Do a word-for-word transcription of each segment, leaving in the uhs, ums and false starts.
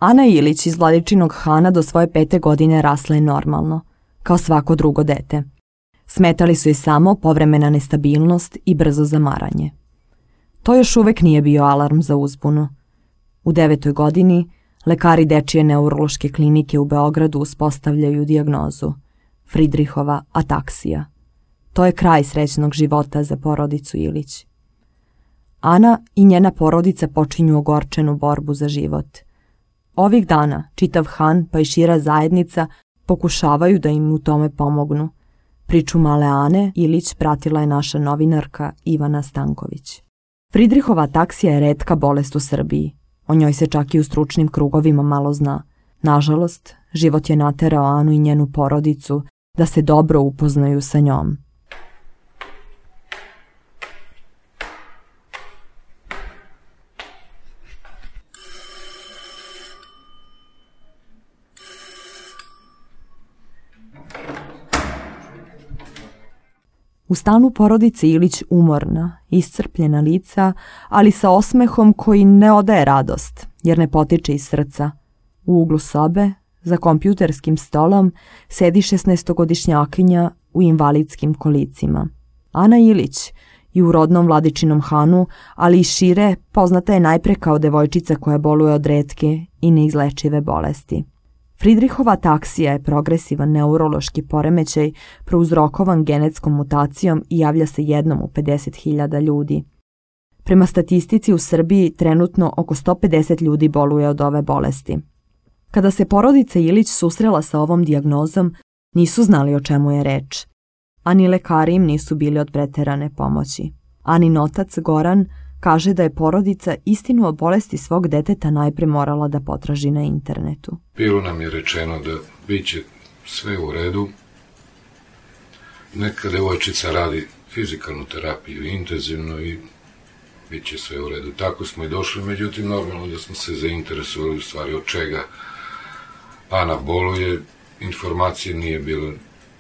Ana Ilić iz Vladičinog Hana do svoje pete godine rasla je normalno, kao svako drugo dete. Smetali su joj samo povremena nestabilnost i brzo zamaranje. To još uvek nije bio alarm za uzbunu. U devetoj godini lekari dečije neurološke klinike u Beogradu uspostavljaju dijagnozu Fridrihova ataksija. To je kraj srećnog života za porodicu Ilić. Ana i njena porodica počinju ogorčenu borbu za život. Ovih dana čitav Han pa i šira zajednica pokušavaju da im u tome pomognu. Priču male Ane Ilić pratila je naša novinarka Ivana Stanković. Fridrihova ataksija je retka bolest u Srbiji. O njoj se čak i u stručnim krugovima malo zna. Nažalost, život je naterao Anu i njenu porodicu da se dobro upoznaju sa njom. U stanu porodice Ilić umorna, iscrpljena lica, ali sa osmehom koji ne odaje radost, jer ne potiče iz srca. U uglu sobe, za kompjuterskim stolom, sedi šesnaestogodišnjakinja u invalidskim kolicima. Ana Ilić i u rodnom Vladičinom Hanu, ali i šire, poznata je najpre kao devojčica koja boluje od retke i neizlečive bolesti. Fridrihova ataksija je progresivan neurološki poremećaj prouzrokovan genetskom mutacijom i javlja se jednom u pedeset hiljada ljudi. Prema statistici u Srbiji trenutno oko sto pedeset ljudi boluje od ove bolesti. Kada se porodica Ilić susrela sa ovom dijagnozom, nisu znali o čemu je reč. Ani lekari im nisu bili od preterane pomoći. Anin otac Goran kaže da je porodica istinu o bolesti svog deteta najpre morala da potraži na internetu. Bilo nam je rečeno da bit će sve u redu. Neka devojčica radi fizikalnu terapiju intenzivno i bit će sve u redu. Tako smo i došli, međutim normalno da smo se zainteresovali u stvari od čega Ana boluje. Informacije nije bilo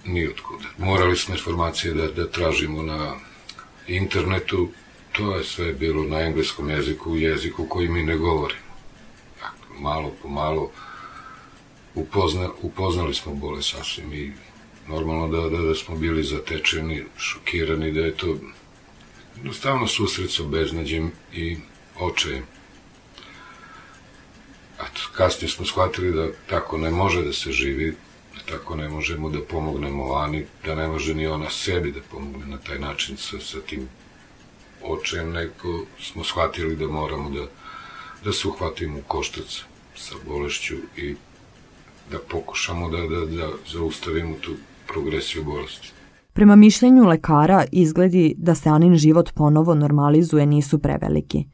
ni otkuda. Morali smo informacije da, da tražimo na internetu. To je sve bilo na engleskom jeziku, jeziku koji mi ne govorimo. Dakle, malo po malo upozna, upoznali smo bolest sasvim i normalno da, da, da smo bili zatečeni, šokirani, da je to jednostavno susret sa beznađem i očajem. Kasnije smo shvatili da tako ne može da se živi, da tako ne možemo da pomognemo Ani, da ne može ni ona sebi da pomogne na taj način sa, sa tim očajem, nego smo shvatili da moramo da, da se uhvatimo u koštac sa bolešću i da pokušamo da, da, da zaustavimo tu progresiju bolesti. Prema mišljenju lekara, izgledi da se Anin život ponovo normalizuje nisu preveliki.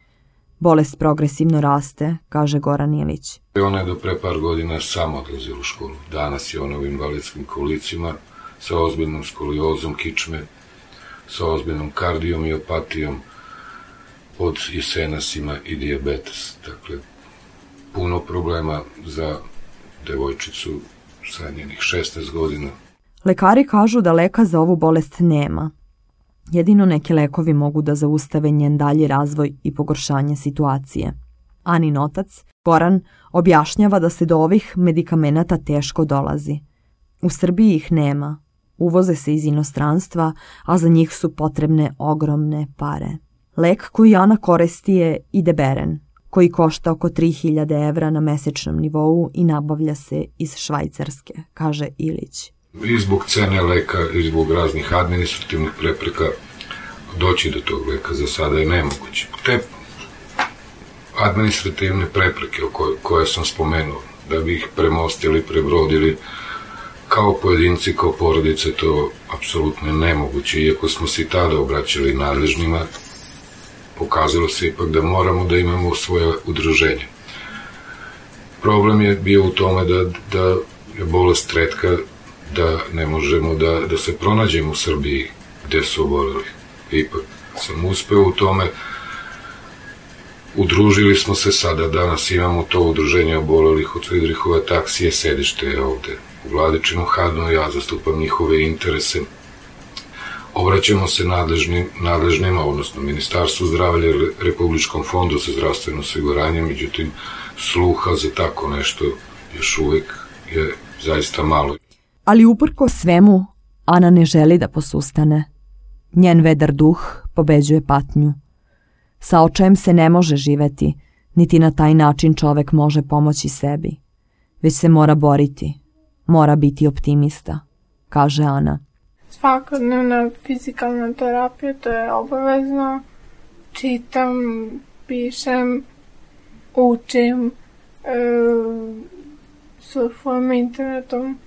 Bolest progresivno raste, kaže Goran Ilić. Ona je do pre par godina sama odlazila u školu. Danas je ona u invalidskim kolicima sa ozbiljnom skoliozom kičme, sa ozbiljnom kardiomiopatijom, pod jesenasima i dijabetes. Dakle, puno problema za devojčicu sa njenih šesnaest godina. Lekari kažu da leka za ovu bolest nema. Jedino neki lekovi mogu da zaustave njen dalji razvoj i pogoršanje situacije. Anin otac, Goran, objašnjava da se do ovih medikamenata teško dolazi. U Srbiji ih nema. Uvoze se iz inostranstva, a za njih su potrebne ogromne pare. Lek koji Ana koristi je Ideberen, koji košta oko tri hiljade evra na mesečnom nivou i nabavlja se iz Švajcarske, kaže Ilić. I zbog cene leka i zbog raznih administrativnih prepreka doći do tog leka za sada je nemoguće. Te administrativne prepreke koje, koje sam spomenuo, da bi ih premostili, prebrodili, kao pojedinci, kao porodice, to apsolutno nemoguće. Iako smo se i tada obraćali nadležnima, pokazalo se ipak da moramo da imamo svoje udruženje. Problem je bio u tome da, da je bolest retka, da ne možemo da, da se pronađemo u Srbiji gde su oboleli. Ipak sam uspeo u tome. Udružili smo se sada, danas imamo to udruženje obolelih od Fridrihove ataksije, sedište je ovde u Vladičinom Hanu, ja zastupam njihove interese. Obraćamo se nadležnim, nadležnima, odnosno Ministarstvu zdravlja, Republičkom fondu za zdravstveno osiguranje, međutim, sluha za tako nešto još uvek je zaista malo. Ali uprko svemu, Ana ne želi da posustane. Njen vedar duh pobeđuje patnju. Sa očajem se ne može živeti, niti na taj način čovek može pomoći sebi. Već se mora boriti, mora biti optimista, kaže Ana. Svakodnevna fizikalna terapija, to je obavezno. Čitam, pišem, učim, e, surfujem internetom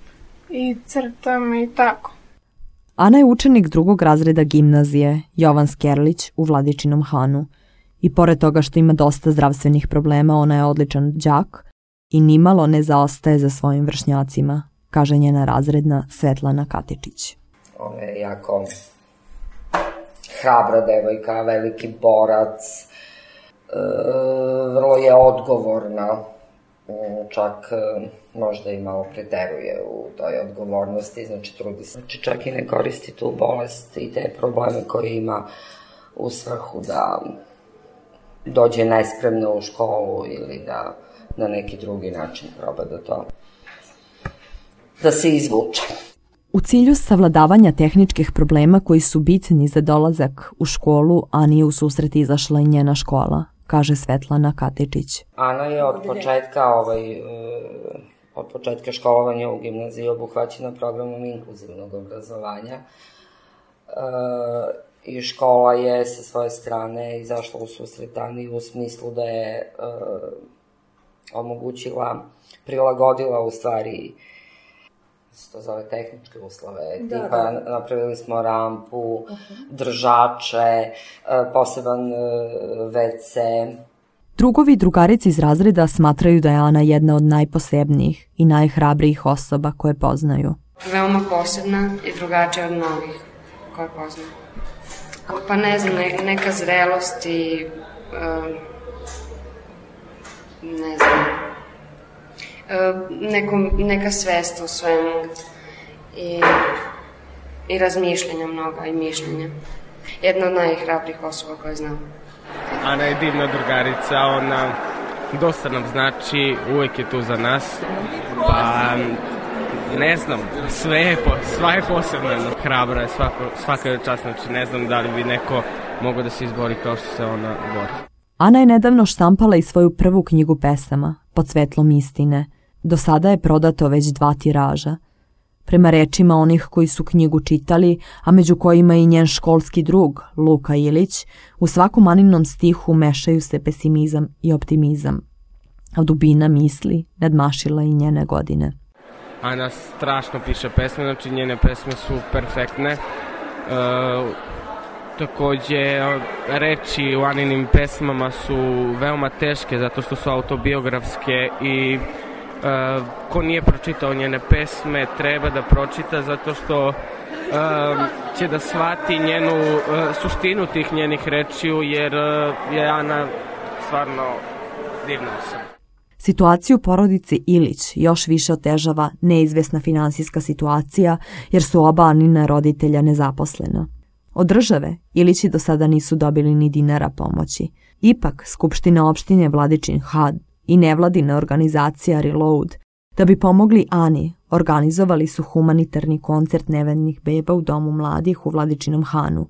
i crtam i tako. Ana je učenik drugog razreda gimnazije Jovan Skerlić u Vladičinom Hanu i pored toga što ima dosta zdravstvenih problema, ona je odličan đak i nimalo ne zaostaje za svojim vršnjacima, kaže njena razredna Svetlana Katičić. Ona je jako hrabra devojka, veliki borac, e, vrlo je odgovorna, čak e, možda i malo preteruje u toj odgovornosti, znači trudi se. Znači čak i ne koristi tu bolest i te probleme koje ima u svrhu da dođe nespremno u školu ili da na neki drugi način proba da to, da se izvuče. U cilju savladavanja tehničkih problema koji su bitni za dolazak u školu, Ani je u susret izašla i njena škola, kaže Svetlana Katičić. Ana je od početka, ovaj, od početka školovanja u gimnaziji obuhvaćena programom inkluzivnog obrazovanja i škola je sa svoje strane izašla u susret Ani u smislu da je omogućila, prilagodila u stvari se to zove tehničke uslove, da, tipa da. Napravili smo rampu, uh-huh. držače, poseban ve ce. Drugovi i drugarici iz razreda smatraju da je Ana jedna od najposebnijih i najhrabrijih osoba koje poznaju. Veoma posebna i drugačija od mnogih koje poznaju. Pa ne znam, neka zrelost i um, ne znam, Neko, neka svest u svemu i, i razmišljenja mnoga i mišljenja. Jedna od najhrabrijih osoba koje znam. Ana je divna drugarica, ona dosta nam znači, uvek je tu za nas. Pa ne znam, sve je, sva je posebna, hrabra je, svako, svaka je čast, znači ne znam da li bi neko mogao da se izbori kao što se ona bori. Ana je nedavno štampala i svoju prvu knjigu pesama, Pod svetlom istine. Do sada je prodato već dva tiraža. Prema rečima onih koji su knjigu čitali, a među kojima i njen školski drug, Luka Ilić, u svakom Aninom stihu mešaju se pesimizam i optimizam. A dubina misli nadmašila i njene godine. Ana strašno piše pesme, znači njene pesme su perfektne. E, takođe, reči u Aninim pesmama su veoma teške zato što su autobiografske i e, ko nije pročitao njene pesme treba da pročita zato što e, će da shvati njenu e, suštinu tih njenih rečiju jer e, je Ana stvarno divna osoba. Situaciju porodice Ilić još više otežava neizvesna finansijska situacija jer su oba Anina roditelja nezaposlena. Od države Ilići do sada nisu dobili ni dinara pomoći. Ipak, Skupština opštine Vladičin Han i nevladina organizacija Reload, da bi pomogli Ani, organizovali su humanitarni koncert nevednih beba u Domu mladih u Vladičinom Hanu.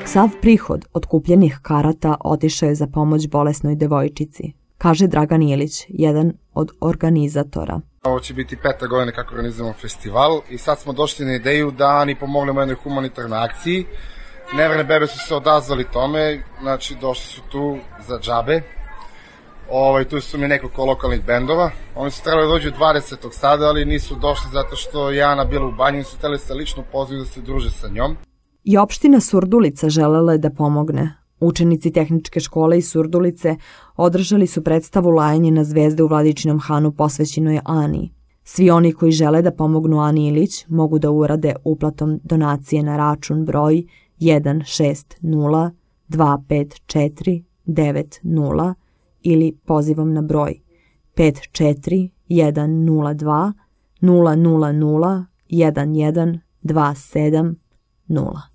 Sav prihod od kupljenih karata otišao je za pomoć bolesnoj devojčici, kaže Dragan Ilić, jedan od organizatora. Ovo će biti peta godina kako organizujemo festival i sad smo došli na ideju da Ani pomognemo jednoj humanitarnoj akciji. Neverne bebe su se odazvali tome, znači došli su tu za džabe. Ovaj, tu su mi nekoliko lokalnih bendova. Oni su trebali dođu dvadesetog sada, ali nisu došli zato što je Ana bila u banji i su hteli se lično pozvati da se druže sa njom. I opština Surdulica želela je da pomogne. Učenici tehničke škole iz Surdulice održali su predstavu Lajanje na zvezde u Vladičinom Hanu posvećenoj Ani. Svi oni koji žele da pomognu Ani Ilić mogu da urade uplatom donacije na račun broj jedan šest nula dva pet četiri devet nula ili pozivom na broj pet četiri jedan nula dva nula nula nula jedan jedan dva sedam nula.